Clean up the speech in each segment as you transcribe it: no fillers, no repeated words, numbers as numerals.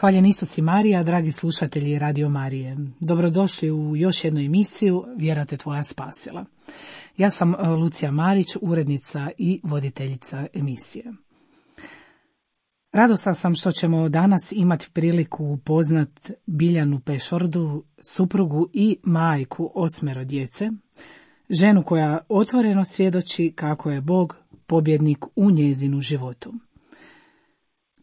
Hvaljen Isus i Marija, dragi slušatelji Radio Marije. Dobrodošli u još jednu emisiju Vjera te tvoja spasila. Ja sam Lucija Marić, urednica i voditeljica emisije. Radosna sam što ćemo danas imati priliku upoznat Biljanu Pešordu, suprugu i majku 8 djece, ženu koja otvoreno svjedoči kako je Bog pobjednik u njezinu životu.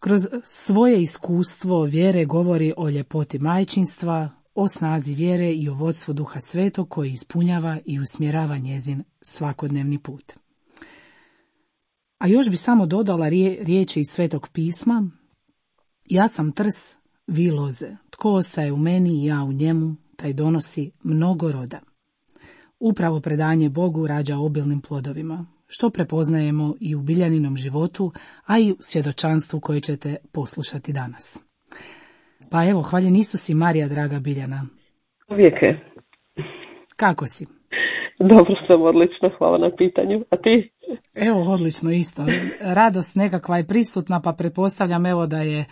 Kroz svoje iskustvo vjere govori o ljepoti majčinstva, o snazi vjere i o vodstvu Duha Svetog koji ispunjava i usmjerava njezin svakodnevni put. A još bi samo dodala riječi iz Svetog pisma: ja sam trs, vi loze, tko ostaje u meni i ja u njemu, taj donosi mnogo roda. Upravo predanje Bogu rađa obilnim plodovima, što prepoznajemo i u Biljaninom životu, a i u svjedočanstvu koje ćete poslušati danas. Pa evo, hvaljen Isus i Marija, draga Biljana. Uvijek je. Kako si? Dobro sam, odlično, hvala na pitanju. A ti? Evo, odlično isto. Radost nekakva je prisutna, pa pretpostavljam evo da je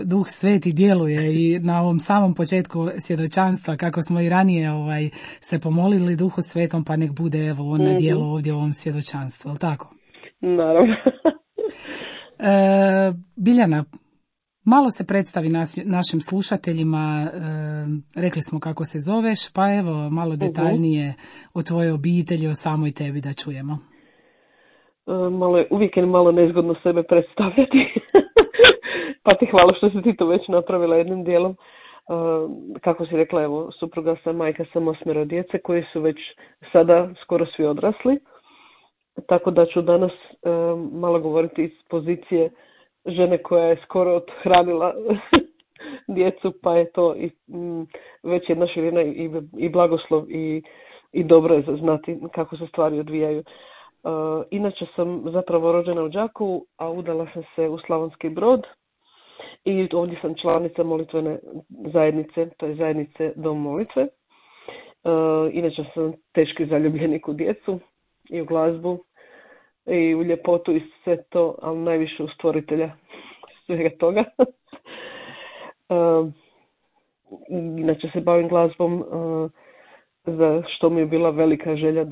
Duh Sveti djeluje i na ovom samom početku svjedočanstva, kako smo i ranije se pomolili Duhu Svetom, pa nek bude evo on na djelu ovdje u ovom svjedočanstvu, je li tako? Naravno. Biljana, malo se predstavi našim slušateljima, rekli smo kako se zoveš, pa evo malo detaljnije o tvojoj obitelji, o samoj tebi da čujemo. Uvijek je malo nezgodno sebe predstavljati, pa ti hvala što si ti to već napravila jednim dijelom. Kako si rekla, evo, supruga sam, majka sam 8 djece koji su već sada skoro svi odrasli, tako da ću danas malo govoriti iz pozicije žene koja je skoro othranila djecu, pa je to već jedna širina i blagoslov i dobro je znati kako se stvari odvijaju. Inače sam zapravo rođena u Đakovu, a udala sam se u Slavonski Brod i ovdje sam članica molitvene zajednice, to je zajednice Dom molitve. Inače sam teški zaljubljenik u djecu i u glazbu i u ljepotu i sve to, ali najviše u stvoritelja svega toga. Inače se bavim glazbom, za što mi je bila velika želja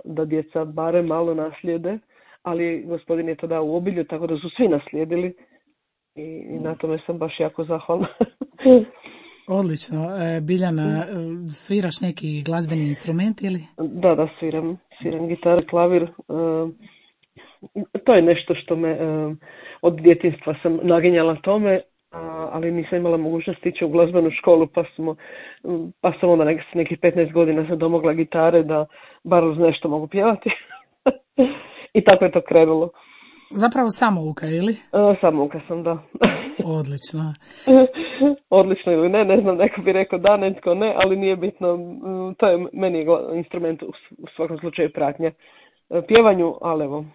da djeca barem malo naslijede, ali gospodin je to dao u obilju, tako da su svi naslijedili i na tome sam baš jako zahvalna. Odlično. Biljana, sviraš neki glazbeni instrument ili? Da, sviram gitaru, klavir. To je nešto što me od djetinjstva sam naginjala tome, ali nisam imala mogućnost ići u glazbenu školu, pa sam onda nekih 15 godina se domogla gitare da bar uz nešto mogu pjevati. I tako je to krenulo. Zapravo samouka, ili? Samouka sam, da. Odlično. Odlično ili ne znam, neko bi rekao da, netko ne, ali nije bitno. To je meni instrument u svakom slučaju pratnja pjevanju, ali evo.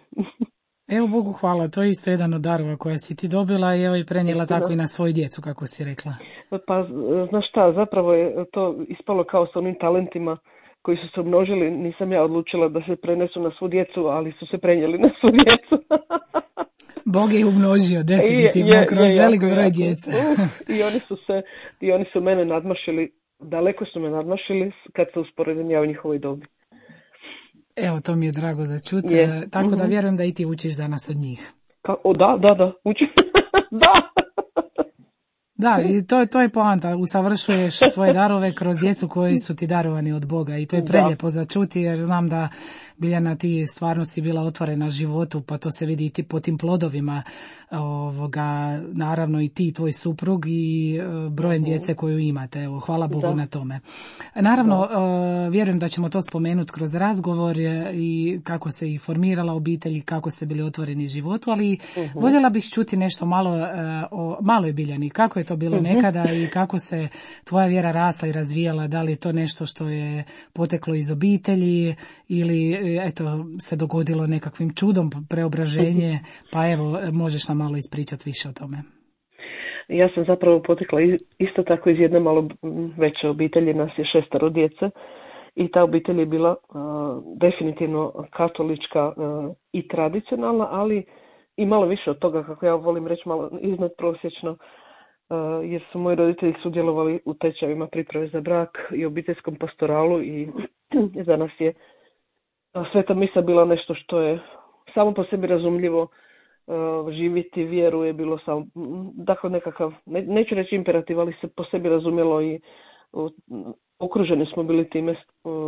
Evo Bogu hvala, to je isto jedan od darova koja si ti dobila i evo i prenijela tako i na svoju djecu, kako si rekla. Pa znaš šta, zapravo je to ispalo kao s onim talentima koji su se umnožili. Nisam ja odlučila da se prenesu na svu djecu, ali su se prenijeli na svu djecu. Bog je umnožio definitivno kroz velik broj djece. I oni su mene nadmašili, daleko su me nadmašili kad se usporedim ja u njihovoj dobi. Evo, to mi je drago za čuti, tako da vjerujem da i ti učiš danas od njih. Da, učim. Da. Da, i to je poanta, usavršuješ svoje darove kroz djecu koji su ti darovani od Boga i to je prelijepo za čuti jer znam da Biljana ti stvarno si bila otvorena životu, pa to se vidi i ti po tim plodovima, naravno i ti, tvoj suprug i brojem djece koju imate, evo, hvala Bogu na tome. Naravno, vjerujem da ćemo to spomenuti kroz razgovor i kako se i formirala obitelj i kako ste bili otvoreni životu, ali voljela bih čuti nešto malo o maloj Biljani, kako je to bilo nekada i kako se tvoja vjera rasla i razvijala, da li je to nešto što je poteklo iz obitelji ili eto se dogodilo nekakvim čudom preobraženje, pa evo možeš nam malo ispričati više o tome. Ja sam zapravo potekla isto tako iz jedne malo veće obitelji, nas je 6 djece i ta obitelj je bila definitivno katolička i tradicionalna, ali i malo više od toga, kako ja volim reći, malo iznad prosječno jer su moji roditelji sudjelovali u tečajevima priprave za brak i obiteljskom pastoralu i za nas je sveta misa bila nešto što je samo po sebi razumljivo. Živjeti vjeru je bilo samo, dakle nekakav, neću reći imperativ, ali se po sebi razumjelo i okruženi smo bili time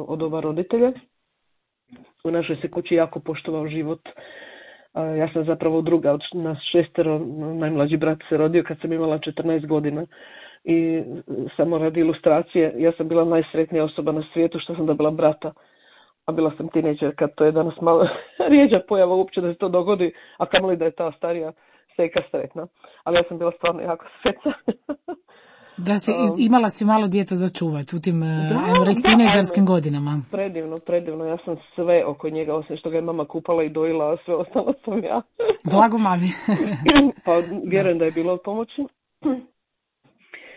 od oba roditelja. U našoj se kući jako poštovao život. Ja sam zapravo druga od nas 6, najmlađi brat se rodio kad sam imala 14 godina. I samo radi ilustracije, ja sam bila najsretnija osoba na svijetu što sam dobila brata. A bila sam tineđer kad to je danas malo rijeđa pojava uopće da se to dogodi, a kamoli da je ta starija seka sretna. Ali ja sam bila stvarno jako sretna. Da imala si malo djeta za čuvat u tim, ajmo reći, tineđerskim godinama. Predivno. Ja sam sve oko njega, osim što ga je mama kupala i dojila, a sve ostalo sam ja. Blago mami. Pa vjerujem da je bilo od pomoći.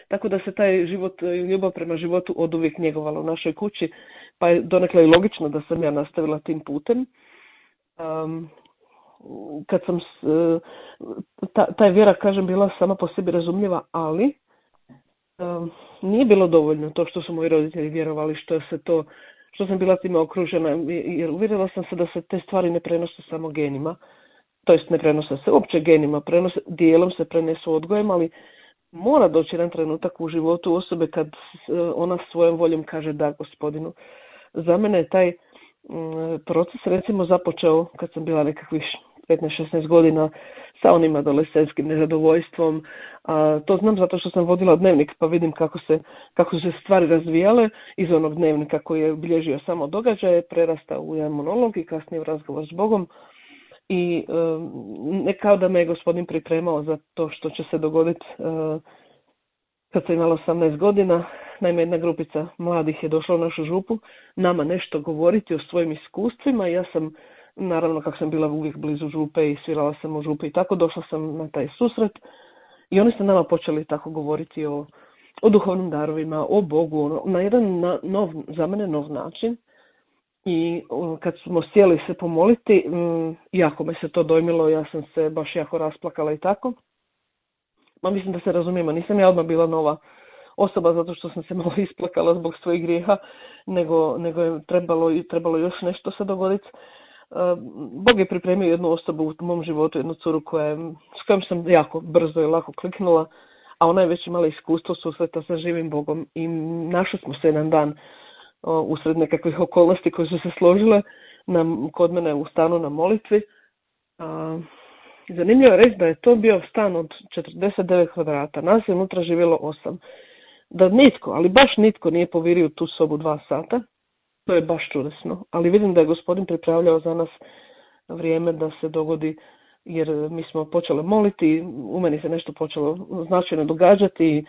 Tako da se taj život i ljubav prema životu oduvijek njegovala u našoj kući, pa je donekle i logično da sam ja nastavila tim putem. Kad sam, ta vjera, kažem, bila sama po sebi razumljiva, ali nije bilo dovoljno to što su moji roditelji vjerovali, što sam bila time okružena, jer uvjerila sam se da se te stvari ne prenose samo genima, to jest ne prenose se uopće genima, dijelom se prenesu odgojem, ali mora doći jedan trenutak u životu osobe kad ona svojom voljom kaže da Gospodinu. Za mene je taj proces recimo započeo kad sam bila nekakvih 15-16 godina sa onim adolescentskim nezadovoljstvom. To znam zato što sam vodila dnevnik pa vidim kako su se stvari razvijale iz onog dnevnika koji je bilježio samo događaje, prerastao u jedan monolog i kasnije u razgovor s Bogom. I ne kao da me je Gospodin pripremao za to što će se dogoditi kad sam imala 18 godina. Naime, jedna grupica mladih je došla u našu župu nama nešto govoriti o svojim iskustvima. Ja sam, naravno kako sam bila uvijek blizu župe i svirala sam u župi i tako, došla sam na taj susret i oni su nama počeli tako govoriti o duhovnim darovima, o Bogu, na jedan za mene nov način. I kad smo sjeli se pomoliti, jako me se to dojmilo, ja sam se baš jako rasplakala i tako. Ma mislim da se razumijemo, nisam ja odmah bila osoba zato što sam se malo isplakala zbog svojih grijeha, nego je trebalo još nešto se dogoditi. Bog je pripremio jednu osobu u mom životu, jednu curu s kojom sam jako brzo i lako kliknula, a ona je već imala iskustvo susreta sa živim Bogom i našli smo se jedan dan usred nekakvih okolnosti koje su se složile kod mene u stanu na molitvi. Zanimljivo je reći da je to bio stan od 49 kvadrata. Nas je unutra živjelo 8. Da nitko, ali baš nitko nije povirio tu sobu 2 sata. To je baš čudesno. Ali vidim da je Gospodin pripravljao za nas vrijeme da se dogodi, jer mi smo počeli moliti, u meni se nešto počelo značajno događati.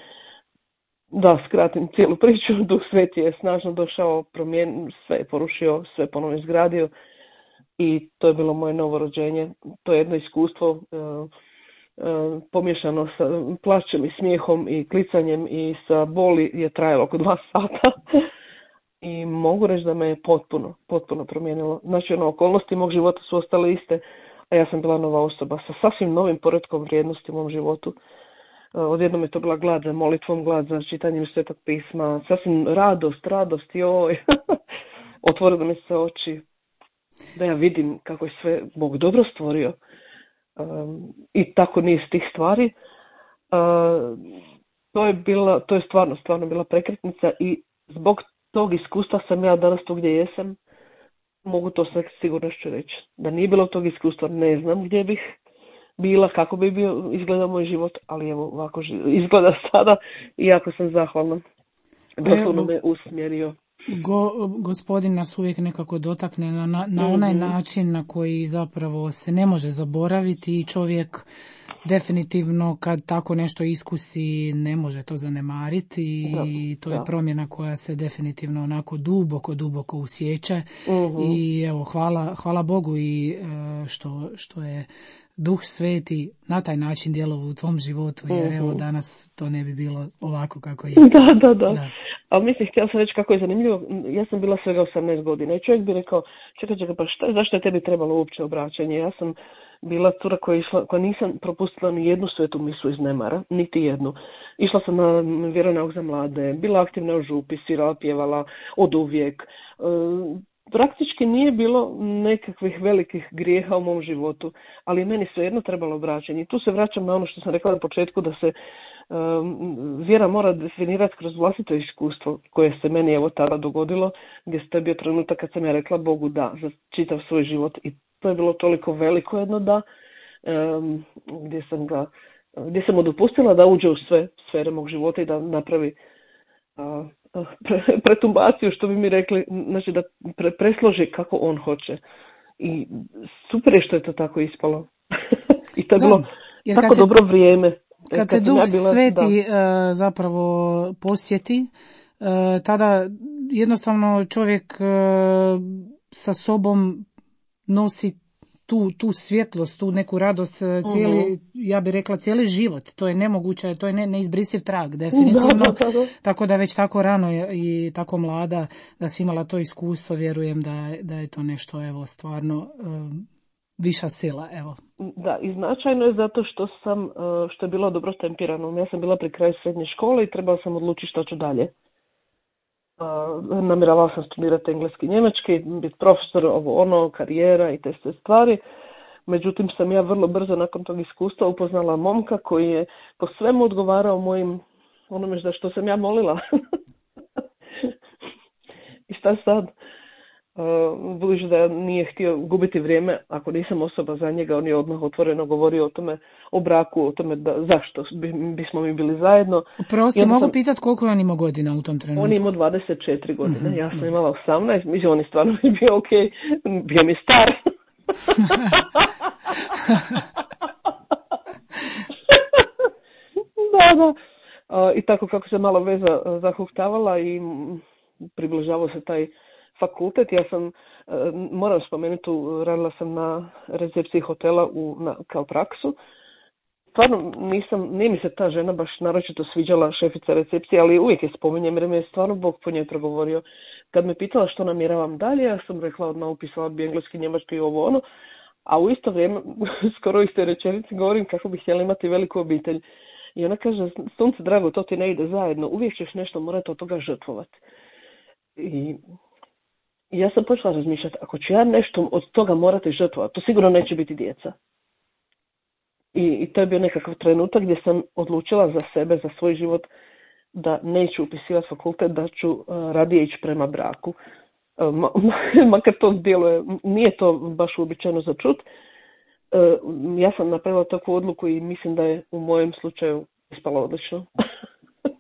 Da skratim cijelu priču, Duh Sveti je snažno došao, sve je porušio, sve ponovno izgradio i to je bilo moje novo rođenje. To je jedno iskustvo pomiješano sa plačem i smijehom i klicanjem i sa boli je trajalo oko 2 sata i mogu reći da me je potpuno promijenilo. Znači, okolnosti mog života su ostale iste, a ja sam bila nova osoba sa sasvim novim poretkom vrijednosti u mom životu. Odjednom je to bila glad za molitvom, glad za čitanjem Svetog pisma, sasvim radost, joj. Otvorilo mi se oči da ja vidim kako je sve Bog dobro stvorio i tako niz tih stvari. To je stvarno bila prekretnica i zbog tog iskustva sam ja danas tu gdje jesam. Mogu to sa sigurnošću reći. Da nije bilo tog iskustva ne znam gdje bih bila, kako bi izgledao moj život, ali evo ovako izgleda sada i jako sam zahvalna. Doslovno me usmjerio. Gospodin nas uvijek nekako dotakne na onaj način na koji zapravo se ne može zaboraviti i čovjek definitivno kad tako nešto iskusi ne može to zanemariti i to je promjena koja se definitivno onako duboko usjeća i evo hvala Bogu i što je Duh Sveti na taj način djelovao u tvom životu, jer evo danas to ne bi bilo ovako kako je. Da. Ali mislim, htjela sam reći kako je zanimljivo, ja sam bila svega 18 godina i čovjek bi rekao, čekaj, pa zašto je tebi trebalo uopće obraćanje? Ja sam bila cura koja nisam propustila ni jednu svetu misu iz nemara, niti jednu. Išla sam na vjeronauk za mlade, bila aktivna u župi, svirala, pjevala od uvijek. Praktički nije bilo nekakvih velikih grijeha u mom životu, ali meni svejedno trebalo vraćanje. I tu se vraćam na ono što sam rekla na početku, da se vjera mora definirati kroz vlastito iskustvo koje se meni evo tada dogodilo, gdje je bio trenutak kad sam ja rekla Bogu da za čitav svoj život, i to je bilo toliko veliko jedno da, gdje sam mu dopustila da uđe u sve sfere mog života i da napravi pretumbaciju, što bi mi rekli, znači da presloži kako on hoće. I super je što je to tako ispalo. I to je bilo tako dobro vrijeme. Kad te Duh Sveti zapravo posjeti, tada jednostavno čovjek sa sobom nosi tu svjetlost, tu neku radost, ja bih rekla cijeli život. To je nemoguće, to je neizbrisiv trag, definitivno. Tako da već tako rano i tako mlada da si imala to iskustvo, vjerujem da je to nešto evo stvarno viša sila, evo. Da, i značajno je zato što je bilo dobro tempirano. Ja sam bila pri kraju srednje škole i trebala sam odlučiti što ću dalje. Namjeravala sam studirati engleski i njemački, biti profesor, karijera i te sve stvari. Međutim, sam ja vrlo brzo nakon tog iskustva upoznala momka koji je po svemu odgovarao onome za što sam ja molila. I šta sad? Budući da nije htio gubiti vrijeme, ako nisam osoba za njega, on je odmah otvoreno govorio o tome, o braku, o tome zašto bismo mi bili zajedno. Prosti, mogu pitati koliko je on imao godina u tom trenutku? On je imao 24 godine, ja sam imala 18, mislim on je stvarno bio ok, bio mi star. Da. I tako kako se malo veza zahuktavala i približavao se taj fakultet, ja sam, moram spomenuti, radila sam na recepciji hotela kao praksu. Stvarno nije mi se ta žena baš naročito sviđala, šefica recepcije, ali uvijek je spominjem jer mi je stvarno Bog po njoj progovorio. Kad me pitala što namjeravam dalje, ja sam rekla odmah upisala bi engleski, njemački i a u isto vrijeme, skoro u istoj rečenici govorim kako bih htjela imati veliku obitelj. I ona kaže, sunce drago, to ti ne ide zajedno, uvijek ćeš nešto morati od toga žrtvovati. I ja sam počela razmišljati, ako ću ja nešto od toga morati žrtvovati, to sigurno neće biti djeca. I to je bio nekakav trenutak gdje sam odlučila za sebe, za svoj život, da neću upisivati fakultet, da ću radije ići prema braku. Makar to djeluje, nije to baš uobičajeno za čut. Ja sam napravila takvu odluku i mislim da je u mojem slučaju ispalo odlično.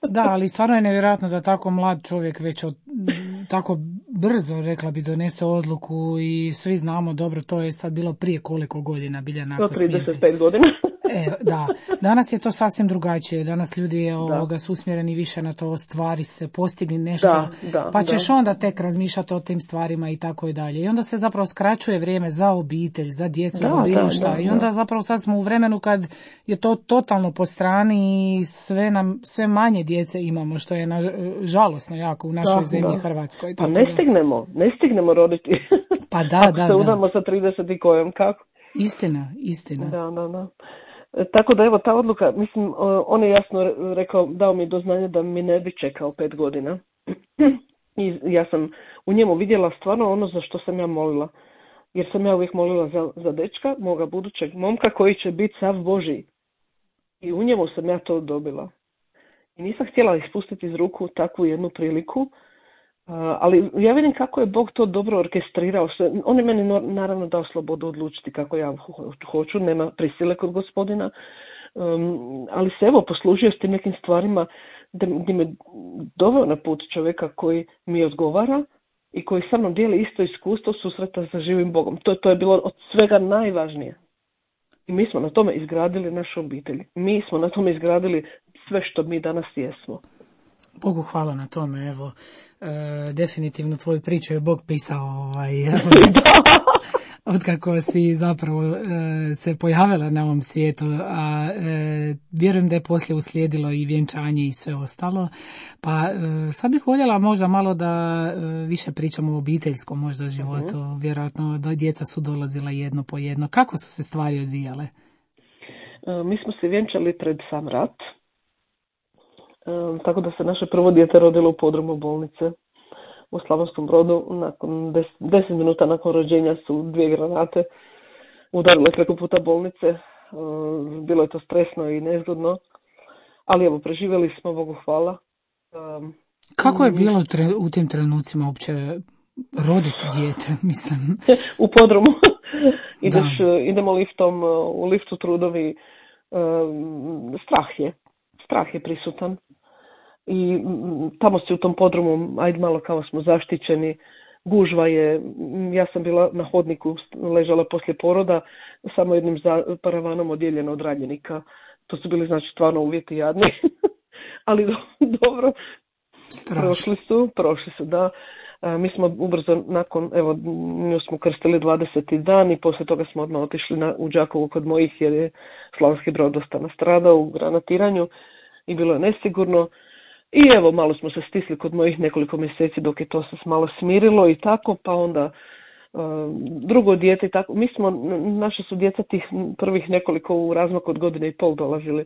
Da, ali stvarno je nevjerojatno da tako mlad čovjek već tako brzo, rekla bi, donese odluku i svi znamo dobro, to je sad bilo prije koliko godina, Biljana? 35 godina. Da, danas je to sasvim drugačije, danas ljudi su usmjereni više na to, stvari se postigni nešto, pa ćeš onda tek razmišljati o tim stvarima i tako i dalje. I onda se zapravo skraćuje vrijeme za obitelj, za djecu, za bilo šta. I onda zapravo sad smo u vremenu kad je to totalno po strani i sve manje djece imamo, što je žalosno jako u našoj zemlji Hrvatskoj. Pa ne stignemo roditi. Pa da. Se udamo sa 30 i kojom, kako? Istina. Da. Tako da evo ta odluka, mislim, on je jasno rekao, dao mi do znanja da mi ne bi čekao 5 godina. I ja sam u njemu vidjela stvarno ono za što sam ja molila. Jer sam ja uvijek molila za dečka, moga budućeg momka koji će biti sav Božji. I u njemu sam ja to dobila. I nisam htjela ispustiti iz ruku takvu jednu priliku. Ali ja vidim kako je Bog to dobro orkestrirao. On je meni naravno dao slobodu odlučiti kako ja hoću, nema prisile kod Gospodina. Ali se evo poslužio s tim nekim stvarima gdje me doveo na put čovjeka koji mi odgovara i koji sa mnom dijeli isto iskustvo susreta sa živim Bogom. To je bilo od svega najvažnije. I mi smo na tome izgradili našu obitelj. Mi smo na tome izgradili sve što mi danas jesmo. Bogu hvala na tome, evo, definitivno tvoju priču je Bog pisao, otkako si zapravo se pojavila na ovom svijetu, a vjerujem da je poslije uslijedilo i vjenčanje i sve ostalo. Pa sad bih voljela možda malo da više pričamo o obiteljskom možda životu. Vjerojatno da djeca su dolazila jedno po jedno. Kako su se stvari odvijale? Mi smo se vjenčali pred sam rat. Tako da se naše prvo dijete rodilo u podrumu bolnice u Slavonskom Brodu. Nakon 10 minuta nakon rođenja su 2 granate udarile preko puta bolnice. Bilo je to stresno i nezgodno, ali evo, preživjeli smo, Bogu hvala. Kako je bilo u tim trenucima uopće roditi dijete, mislim? U podrumu. Idemo liftom, u liftu trudovi. Strah je prisutan. I tamo si u tom podrumu, ajde malo kao smo zaštićeni, gužva je, ja sam bila na hodniku, ležala poslije poroda, samo jednim paravanom odijeljena od ranjenika. To su bili znači stvarno uvjeti jadni, ali dobro, prošli su, da. Mi smo ubrzo nakon, evo, nju smo krstili 20. dan i poslije toga smo odmah otišli u Đakovo kod mojih jer je Slavonski Brod dosta nastradao u granatiranju i bilo je nesigurno. I evo, malo smo se stisli kod mojih nekoliko mjeseci dok je to se malo smirilo i tako, pa onda drugo dijete i tako. Naše su djeca tih prvih nekoliko u razmaku od 1.5 godine dolazili.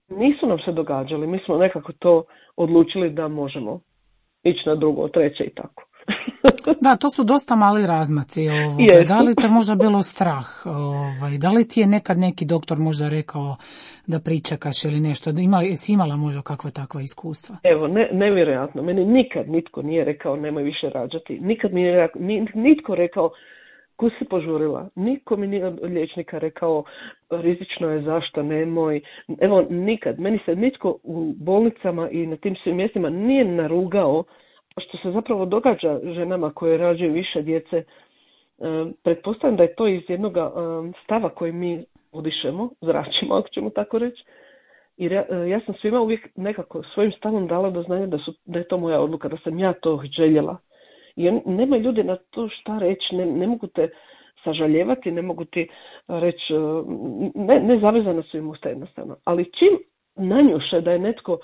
Nisu nam se događali, mi smo nekako to odlučili da možemo ići na drugo, treće i tako. Da, to su dosta mali razmaci. Da li te možda bilo strah? Da li ti je nekad neki doktor možda rekao da pričekaš ili nešto? Jesi imala možda kakva takva iskustva? Evo, nevjerojatno. Meni nikad nitko nije rekao nemoj više rađati. Nikad mi nije nitko rekao ko si požurila. Niko mi nije od liječnika rekao rizično je, zašto, nemoj. Evo, nikad. Meni se nitko u bolnicama i na tim svim mjestima nije narugao što se zapravo događa ženama koje rađaju više djece. Pretpostavljam da je to iz jednog stava koji mi udišemo, zračimo, ako ćemo tako reći. Jer ja sam svima uvijek nekako svojim stavom dala do znanja da je to moja odluka, da sam ja to željela. Jer nema ljudi na to šta reći, ne mogu te sažaljevati, ne mogu ti reći, ne zavezana su im usta jednostavno. Ali čim nanjuše da je netko,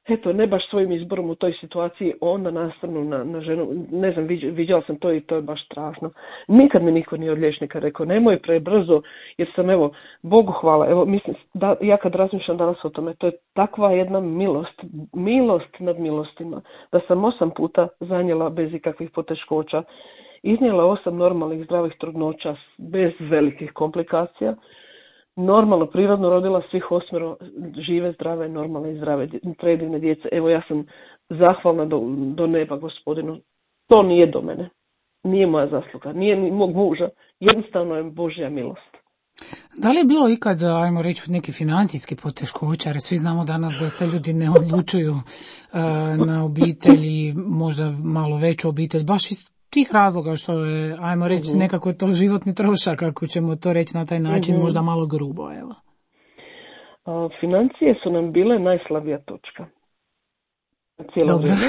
eto, ne baš svojim izborom u toj situaciji, onda nastranu na ženu, ne znam, viđala sam to i to je baš strašno. Nikad mi niko nije od liječnika rekao, nemoj prebrzo, jer sam, evo, Bogu hvala, evo, mislim, ja kad razmišljam danas o tome, to je takva jedna milost nad milostima, da sam 8 puta zanijela bez ikakvih poteškoća, iznijela 8 normalnih zdravih trudnoća bez velikih komplikacija, normalno, prirodno rodila svih 8 žive, zdrave, normalne i zdrave, predivne djece. Evo, ja sam zahvalna do neba Gospodinu. To nije do mene. Nije moja zasluga. Nije ni mog muža. Jednostavno je Božja milost. Da li je bilo ikad, ajmo reći, neki financijski poteškoća, jer svi znamo danas da se ljudi ne odlučuju na obitelji, možda malo veću obitelj, baš iz tih razloga što je, ajmo reći, nekako to životni trošak, ako ćemo to reći na taj način, možda malo grubo, evo. Financije su nam bile najslabija točka. Cijelo vrijeme.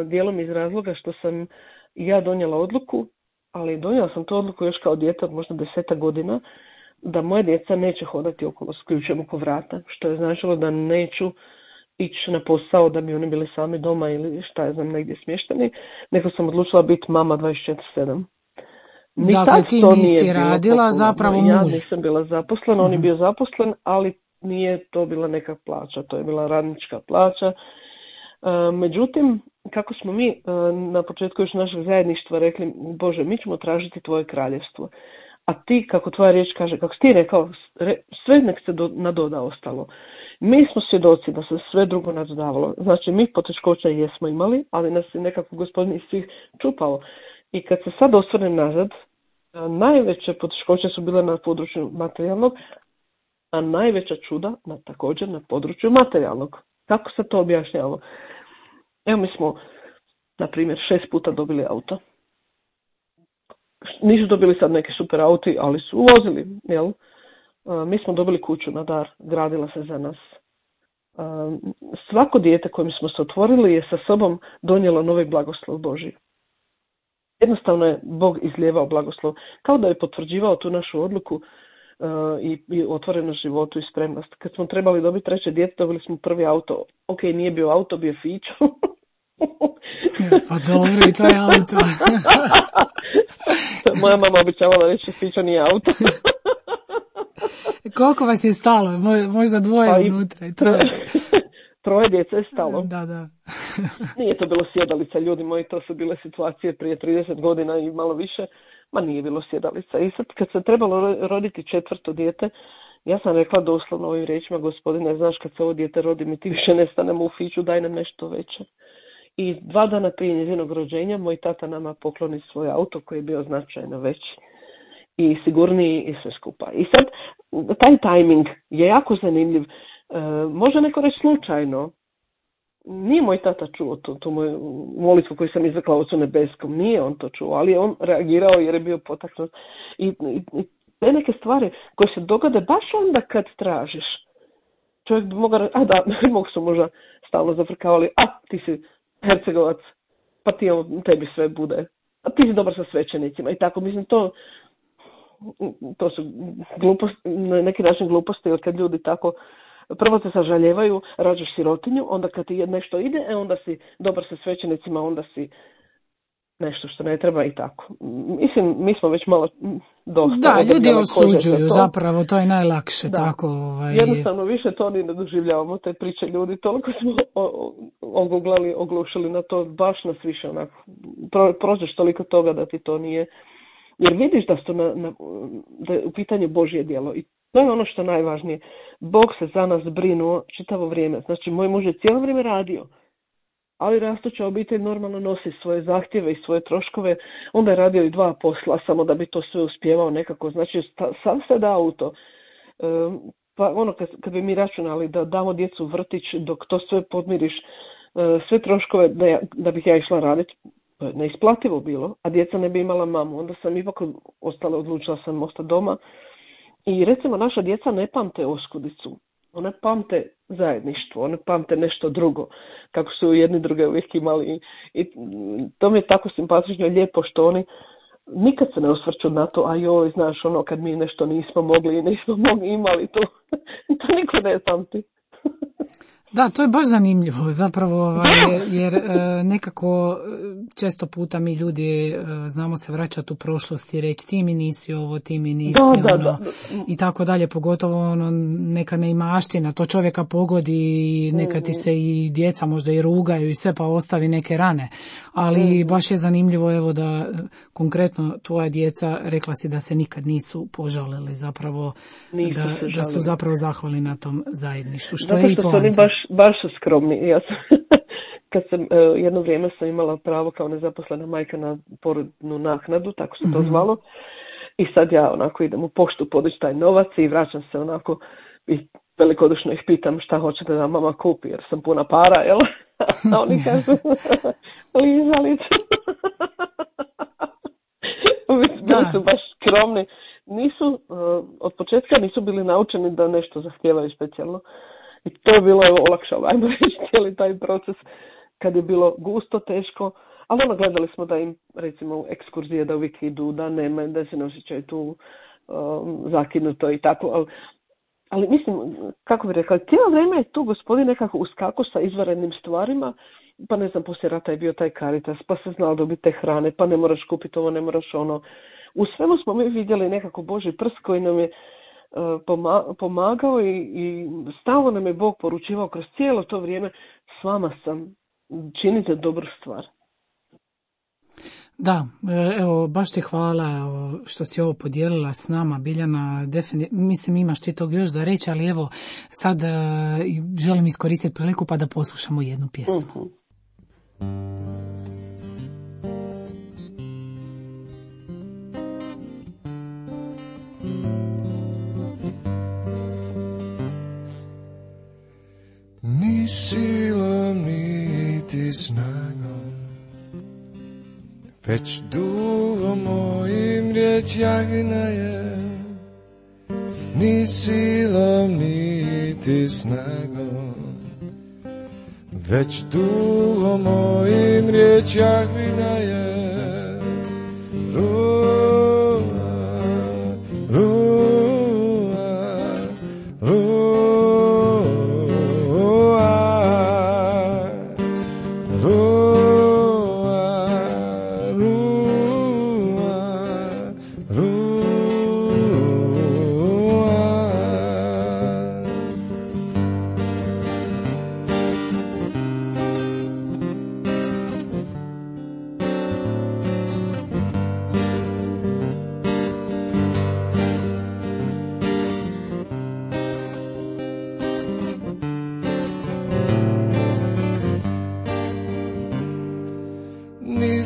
Dijelom iz razloga što sam ja donijela odluku, ali donijela sam tu odluku još kao dijete od možda 10 godina, da moja djeca neće hodati okolo s ključem oko vrata, što je značilo da neću ići na posao da bi oni bili sami doma ili šta ja znam negdje smješteni, nego sam odlučila biti mama 24/7. Dakle, ti nisi radila, zapravo muž. Ja nisam bila zaposlena, on je bio zaposlen, ali nije to bila neka plaća, to je bila radnička plaća. Međutim, kako smo mi na početku još našeg zajedništva rekli, Bože, mi ćemo tražiti tvoje kraljevstvo. A ti, kako tvoja riječ kaže, kako si ti rekao, sve nek se nadoda ostalo. Mi smo svjedoci da se sve drugo nadodavalo. Znači, mi poteškoća jesmo imali, ali nas je nekako Gospodin iz svih čupao. I kad se sad osvrnem nazad, najveće poteškoće su bile na području materijalnog, a najveća čuda također na području materijalnog. Kako se to objašnjava? Evo, mi smo, na primjer, 6 puta dobili auto. Nisu dobili sad neki super auti, ali su uvozili, jel? Mi smo dobili kuću na dar, gradila se za nas. Svako dijete kojim smo se otvorili je sa sobom donijelo novi blagoslov Božji. jednostavno je Bog izlijevao blagoslov. Kao da je potvrđivao tu našu odluku i otvorenost životu i spremnost. Kad smo trebali dobiti treće dijete, dobili smo prvi auto. Ok, nije bio auto, bio Fićo. Pa dobro, i to je auto. Moja mama običavala reći Fićo nije auto. Koliko vas je stalo? Možda dvoje pa unutra. Troje djece je stalo. Da. Nije to bilo sjedalica, ljudi moji, to su bile situacije prije 30 godina i malo više. Ma nije bilo sjedalica. I sad kad se trebalo roditi četvrto dijete, ja sam rekla doslovno ovim riječima, gospodine, znaš kad se ovo dijete rodi, mi ti više ne stanemo u Fiću, daj nam nešto veće. I 2 dana prije njezinog rođenja moj tata nama pokloni svoj auto koji je bio značajno veći i sigurniji i sve skupa. I sad taj tajming je jako zanimljiv. Može neko reći slučajno. Nije moj tata čuo tu moju molitvu koju sam izrekla Ocu nebeskom. Nije on to čuo, ali je on reagirao jer je bio potaknut. I te neke stvari koje se dogode baš onda kad tražiš. Čovjek bi mogao reći, mogu su možda stalno zafrkavali, ti si Hercegovac, pa tebi sve bude. A ti si dobar sa svećenicima. I tako, mislim, to su gluposti, na neki način gluposti, jer kad ljudi tako prvo se sažaljevaju, rađaš sirotinju, onda kad ti nešto ide, onda si dobar sa svećenicima, onda si nešto što ne treba i tako. Mislim, mi smo već malo dosta. Da, ljudi osuđuju, zapravo, to je najlakše. Da. Tako. Jednostavno više to ni ne doživljavamo, te priče ljudi, toliko smo oglušili na to, baš nas više onako, prođeš toliko toga da ti to nije, jer vidiš da su da je u pitanju Božje djelo i to je ono što je najvažnije. Bog se za nas brinuo čitavo vrijeme. Znači, moj muž je cijelo vrijeme radio, ali rastuća obitelj normalno nosi svoje zahtjeve i svoje troškove. Onda je radio i 2 posla, samo da bi to sve uspjevao nekako. Znači, sam se dao u to. Pa ono, kad bi mi računali da damo djecu u vrtić, dok to sve podmiriš, sve troškove da bih ja išla raditi, to je neisplativo bilo, a djeca ne bi imala mamu. Onda sam ipak odlučila sam ostati doma. I recimo naša djeca ne pamte oskudicu, one pamte zajedništvo, one pamte nešto drugo, kako su jedni druge uvijek imali. I to mi je tako simpatično i lijepo što oni nikad se ne osvrću na to, a joj, znaš, ono kad mi nešto nismo mogli i nismo imali, to niko ne pamti. Da, to je baš zanimljivo zapravo, jer nekako često puta mi ljudi znamo se vraćati u prošlost i reći ti mi nisi ovo, ti mi nisi ono i tako dalje, pogotovo ono neka neimaština, to čovjeka pogodi i neka ti se i djeca možda i rugaju i sve pa ostavi neke rane, ali baš je zanimljivo evo da konkretno tvoja djeca rekla si da se nikad nisu požalili zapravo, da su zapravo zahvalni na tom zajedništvu, što je i poanta. Baš su skromni. Ja sam, kad sam jedno vrijeme sam imala pravo kao nezaposlena majka na porodnu naknadu, tako se to zvalo. I sad ja onako idem u poštu podići taj novac i vraćam se onako i velikodušno ih pitam šta hoćete da mama kupi jer sam puna para, jel? A oni kažu lizalicu. Bili su baš skromni. Nisu, od početka nisu bili naučeni da nešto zahtijevaju specijalno. I to je bilo olakšalo, ajmo reći, cijeli taj proces kad je bilo gusto, teško, ali gledali smo da im, recimo, ekskurzije da uvijek idu, da nema, da se ne osjećaju tu zakinuto i tako, ali mislim, kako bih rekla, cijelo vrijeme je tu gospodin nekako uskako sa izvanrednim stvarima, pa ne znam, poslije rata je bio taj Caritas, pa se znalo dobiti te hrane, pa ne moraš kupiti ovo, ne moraš ono. U svemu smo mi vidjeli nekako Božji prst koji nam je pomagao i stalno nam je Bog poručivao kroz cijelo to vrijeme, s vama sam, činite dobru stvar. Da, evo, baš ti hvala što si ovo podijelila s nama, Biljana, mislim imaš ti tog još za reći, ali evo, sad želim iskoristiti priliku pa da poslušamo jednu pjesmu. Ni silom, niti snagom, već duhom mojim riječ jagnaje. Ni silom, niti snagom, već duhom mojim riječ jagnaje.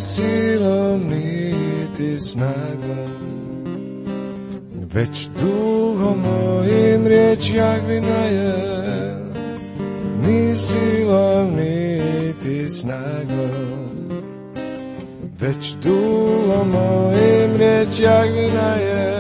Silom niti snagom, već duhom mojim riječ Jahvina je. Ni silom niti snagom, već duhom mojim riječ Jahvina je.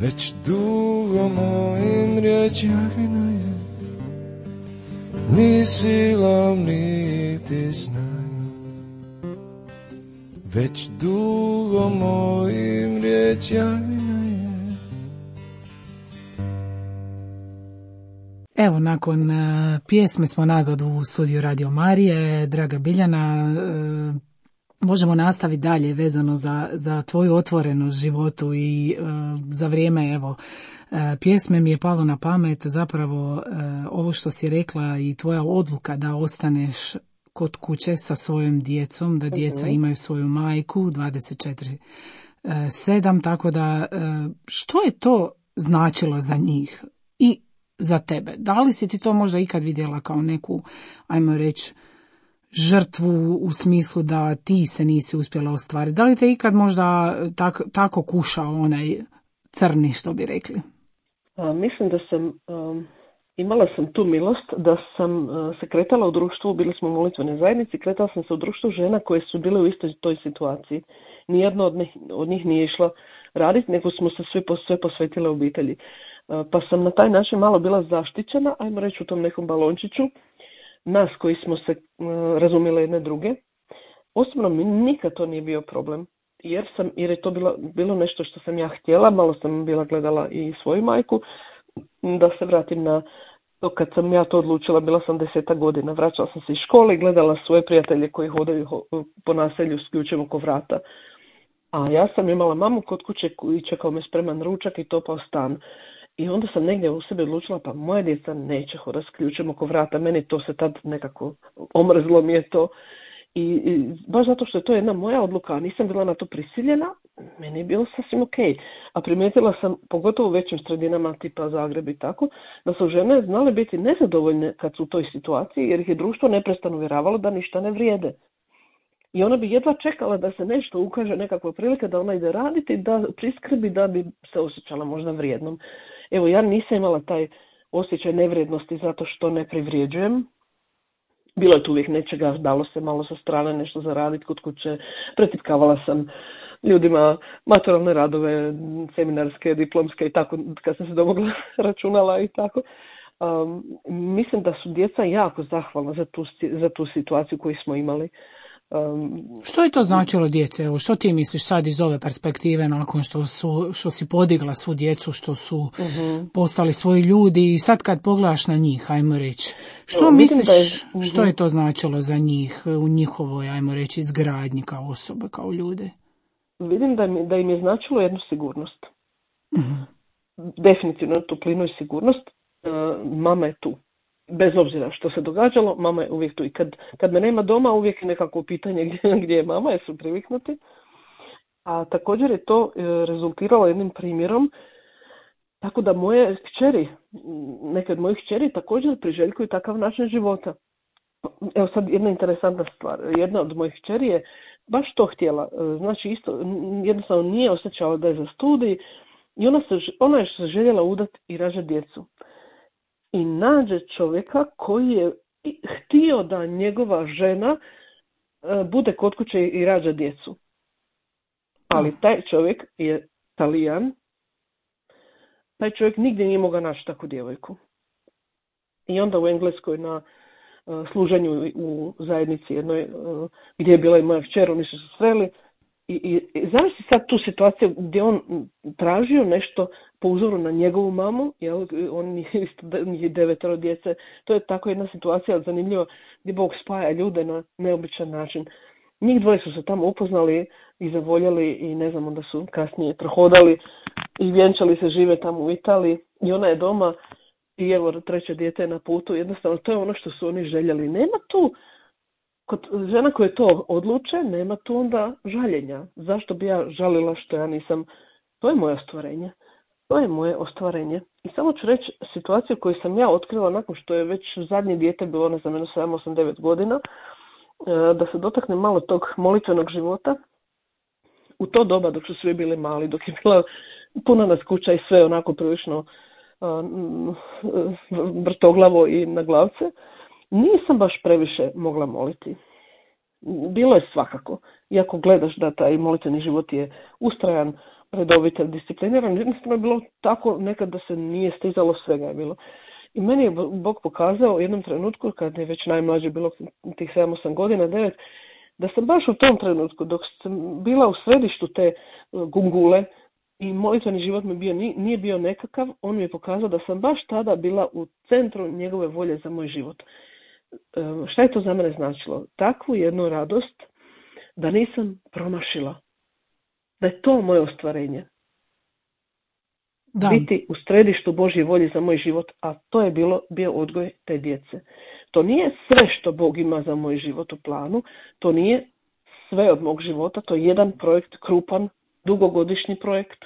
Već dugo mojim riječ Jahvina je, ni silom niti snagom. Već dugo mojim riječ Jahvina je. Evo, nakon pjesme smo nazad u studiju Radio Marije. Draga Biljana, možemo nastaviti dalje vezano za tvoju otvorenost životu i za vrijeme, evo, pjesme mi je palo na pamet zapravo ovo što si rekla i tvoja odluka da ostaneš kod kuće sa svojom djecom, da djeca imaju svoju majku 24/7, tako da što je to značilo za njih i za tebe? Da li si ti to možda ikad vidjela kao neku, ajmo reći, žrtvu u smislu da ti se nisi uspjela ostvariti? Da li te ikad možda tako kušao onaj crni, što bi rekli? Mislim da sam, imala sam tu milost da sam se kretala u društvu, bili smo u molitvenoj zajednici, kretala sam se u društvu žena koje su bile u istoj toj situaciji. Nijedno od njih nije išla raditi, nego smo se sve posvetile obitelji. Pa sam na taj način malo bila zaštićena, ajmo reći u tom nekom balončiću, nas koji smo se razumjeli jedne druge. Osobno mi nikad to nije bio problem, jer je to bilo nešto što sam ja htjela. Malo sam bila gledala i svoju majku, da se vratim na to kad sam ja to odlučila, bila sam 10 godina, vraćala sam se iz škole i gledala svoje prijatelje koji hodaju po naselju s ključem oko vrata. A ja sam imala mamu kod kuće i čekao me spreman ručak i topao stan. I onda sam negdje u sebi odlučila, pa moja djeca neće hodati s ključem oko vrata, meni to se tad nekako omrzlo mi je to. I baš zato što je to jedna moja odluka, nisam bila na to prisiljena, meni je bilo sasvim ok. A primijetila sam, pogotovo u većim sredinama tipa Zagreb i tako, da su žene znale biti nezadovoljne kad su u toj situaciji, jer ih je društvo neprestano uvjeravalo da ništa ne vrijede. I ona bi jedva čekala da se nešto ukaže, nekakva prilika da ona ide raditi, da priskrbi, da bi se osjećala možda vrijednom. Evo, ja nisam imala taj osjećaj nevrijednosti zato što ne privrijeđujem. Bilo je tu uvijek nečega, dalo se malo sa strane nešto zaraditi kod kuće. Pretipkavala sam ljudima maturalne radove, seminarske, diplomske i tako, kad sam se domogla računala i tako. Mislim da su djeca jako zahvalna za tu situaciju koju smo imali. Što je to značilo djece? Evo, što ti misliš sad iz ove perspektive nakon što si podigla svu djecu, što su postali svoji ljudi i sad kad pogledaš na njih, ajmo reći, što misliš što je to značilo za njih u njihovoj, ajmo reći, izgradnji kao osobe, kao ljude? Vidim da im je značilo jednu sigurnost. Definitivno toplinu i sigurnost. Mama je tu. bez obzira što se događalo, mama je uvijek tu. I kad me nema doma, uvijek je nekako pitanje gdje je mama, jer su priviknuti. A također je to rezultiralo jednim primjerom, tako da moje kćeri, neke od mojih kćeri također priželjkuju takav način života. Evo sad jedna interesantna stvar. Jedna od mojih kćeri je baš to htjela. Znači isto, jednostavno nije osjećala da je za studij i ona je se željela udati i rađati djecu. I nađe čovjeka koji je htio da njegova žena bude kod kuće i rađa djecu. Ali taj čovjek je Talijan. Taj čovjek nigdje nije mogao naći takvu djevojku. I onda u Engleskoj na služenju u zajednici jednoj gdje je bila i moja kćer, oni su se sreli. I zamisli sad tu situaciju gdje on tražio nešto po uzoru na njegovu mamu, jel, on je 9 djece. To je tako jedna situacija zanimljiva gdje Bog spaja ljude na neobičan način. Njih dvoje su se tamo upoznali i zavoljeli i ne znam, onda su kasnije prohodali i vjenčali se, žive tamo u Italiji i ona je doma i evo 3. dijete je na putu. Jednostavno to je ono što su oni željeli. Nema tu, kod žena koje to odluče, nema tu onda žaljenja. Zašto bi ja žalila što ja nisam? To je moje ostvarenje. To je moje ostvarenje. I samo ću reći situaciju koju sam ja otkrila nakon što je već zadnje dijete bilo, ne znam, 7, 8, 9 godina, da se dotakne malo tog molitvenog života. U to doba dok su svi bili mali, dok je bila puna nas kuća i sve onako prilično vrtoglavo i na glavce, nisam baš previše mogla moliti. Bilo je svakako. Iako gledaš da taj molitveni život je ustrajan, redovit, discipliniran, jednostavno je bilo tako nekad da se nije stizalo, svega je bilo. I meni je Bog pokazao u jednom trenutku, kad je već najmlađe bilo tih 7-8 godina, 9, da sam baš u tom trenutku, dok sam bila u središtu te gungule i molitveni život mi nije bio nekakav, on mi je pokazao da sam baš tada bila u centru njegove volje za moj život. Šta je to za mene značilo? Takvu jednu radost da nisam promašila. Da je to moje ostvarenje. Da. Biti u središtu Božje volje za moj život, a to je bio odgoj te djece. To nije sve što Bog ima za moj život u planu, to nije sve od mog života, to je jedan projekt, krupan, dugogodišnji projekt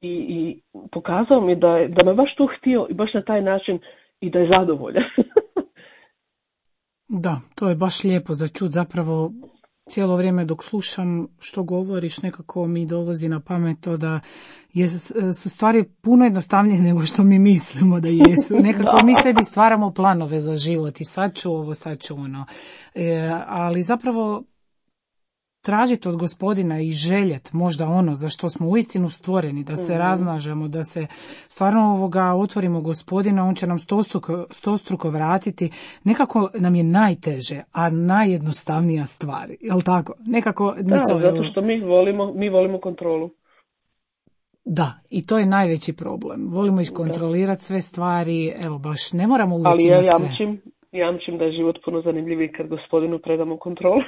i pokazao mi da me baš tu htio i baš na taj način i da je zadovoljan. Da, to je baš lijepo za čut, zapravo cijelo vrijeme dok slušam što govoriš, nekako mi dolazi na pamet to da su stvari puno jednostavnije nego što mi mislimo da jesu. Nekako mi sebi stvaramo planove za život i sad ću ovo, sad ću ono. Ali zapravo tražiti od Gospodina i željet možda ono za što smo uistinu stvoreni, da se razmažemo, da se stvarno otvorimo Gospodina, on će nam stostruko vratiti. Nekako nam je najteže, a najjednostavnija stvar, jel tako? Nekako zato što mi volimo kontrolu. Da, i to je najveći problem. Volimo iskontrolirati sve stvari, evo baš ne moramo uvijek imati sve. Ali ja jamčim da je život puno zanimljiviji kad Gospodinu predamo kontrolu.